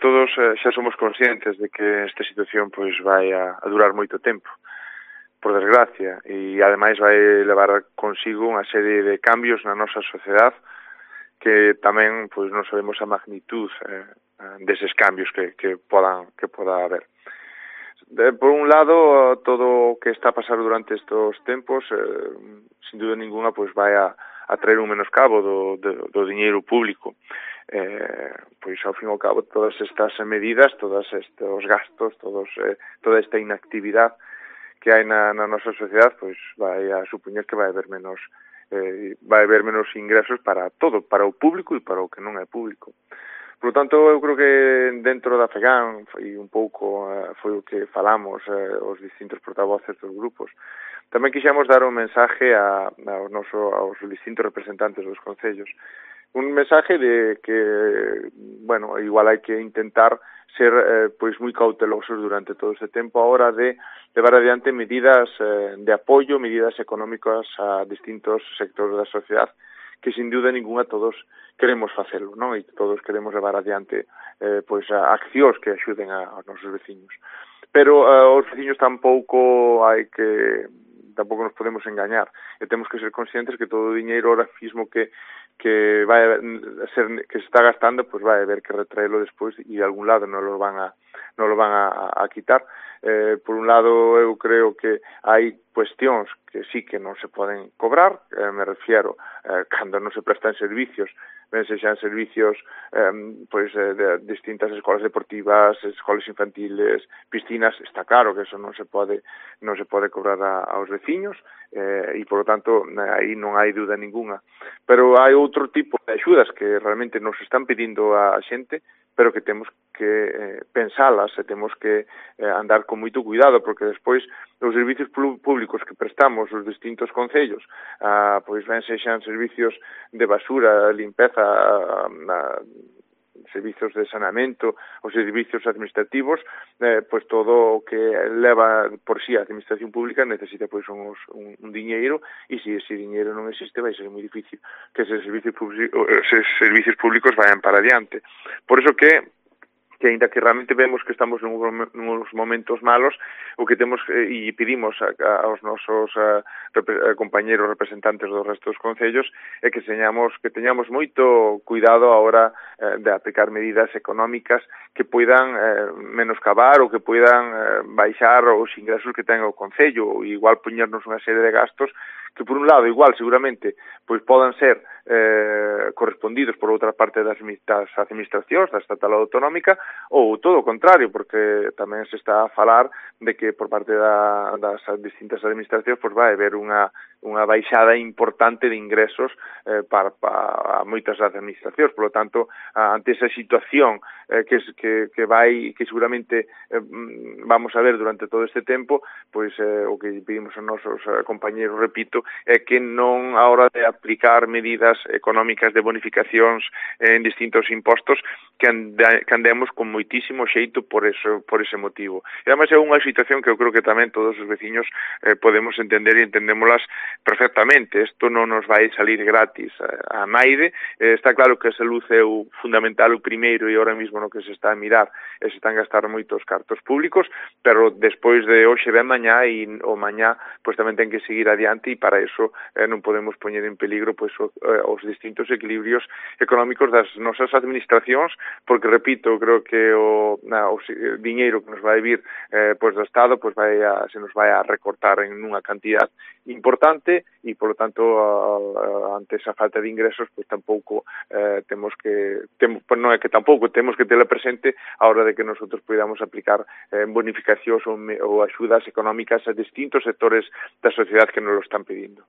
Todos xa somos conscientes de que esta situación pois vai a durar moito tempo, por desgracia, e ademais vai levar consigo unha serie de cambios na nosa sociedade que tamén pois non sabemos a magnitud deses cambios que poda haber. Por un lado, todo o que está a pasar durante estes tempos, sin duda ninguna, pois vai a traer un menoscabo do diñeiro público. Pois ao fin e ao cabo todas estas medidas, todos estes gastos, toda esta inactividade que hai na nosa sociedade, pois vai a supoñer que vai haber menos ingresos para todo, para o público e para o que non é público. Por lo tanto, eu creo que dentro da FEGAN, e un pouco foi o que falamos os distintos portavoces dos grupos, tamén quixemos dar un mensaje aos distintos representantes dos concellos. Un mensaje de que, bueno, igual hai que intentar ser pois moi cautelosos durante todo este tempo a hora de levar adiante medidas de apoio, medidas económicas a distintos sectores da sociedade que sin duda ninguna todos queremos facelo, non? E todos queremos levar adiante pois accións que axuden aos nosos veciños. Pero os veciños tampouco nos podemos engañar e temos que ser conscientes que todo o diñeiro ahora mismo que se está gastando, pues vai haber que retraerlo despois e de algún lado non lo van a quitar. Por un lado, eu creo que hai cuestións que sí que non se poden cobrar, me refiero cando non se prestan servicios, ben sexan servicios de distintas escolas deportivas, escolas infantiles, piscinas, está claro que eso non se pode cobrar aos veciños e, por lo tanto, aí non hai dúda ninguna. Pero hai outro tipo de axudas que realmente nos están pedindo a xente, pero que temos que pensalas e temos que andar con moito cuidado, porque despois os servicios públicos que prestamos os distintos concellos, pois ben sexan servicios de basura, limpeza, servicios de saneamento, os servicios administrativos, pois todo o que leva por si a administración pública necesita pois un diñeiro, e se ese diñeiro non existe vai ser moi difícil que eses servicios públicos vayan para adiante. Por iso que aínda que realmente vemos que estamos nuns momentos malos, o que temos e pedimos aos nosos compañeros representantes do resto dos concellos é que teñamos moito cuidado a hora de aplicar medidas económicas que poidan menoscabar ou que poidan baixar os ingresos que ten o concello, ou igual poñernos unha serie de gastos que por un lado igual seguramente pois podan ser correspondidos por outra parte das administracións, da estatal ou autonómica, ou todo o contrario, porque tamén se está a falar de que por parte das distintas administracións pois vai haber unha baixada importante de ingresos para moitas das administracións. Por lo tanto, ante esa situación que seguramente vamos a ver durante todo este tempo, pois o que pedimos aos nosos compañeros, repito, é que non a hora de aplicar medidas económicas de bonificacións en distintos impostos que andemos con moitísimo xeito por ese motivo. E ademais é unha situación que eu creo que tamén todos os veciños podemos entender e entendémolas perfectamente. Isto non nos vai salir gratis a naide. Está claro que a salud é o fundamental, o primeiro, e ahora mesmo no que se está a mirar se están a gastar moitos cartos públicos, pero despois de hoxe ven mañá e o mañá pois tamén ten que seguir adiante, e para iso non podemos poñer en peligro pois os distintos equilibrios económicos das nosas administracións, porque, repito, creo que o diñeiro que nos vai vir pois do Estado pois se nos vai a recortar en unha cantidad importante, e, por lo tanto, ante esa falta de ingresos, pois tampouco temos que tela presente a hora de que nosotros podamos aplicar bonificacións ou axudas económicas a distintos sectores da sociedade que nos lo están pedindo.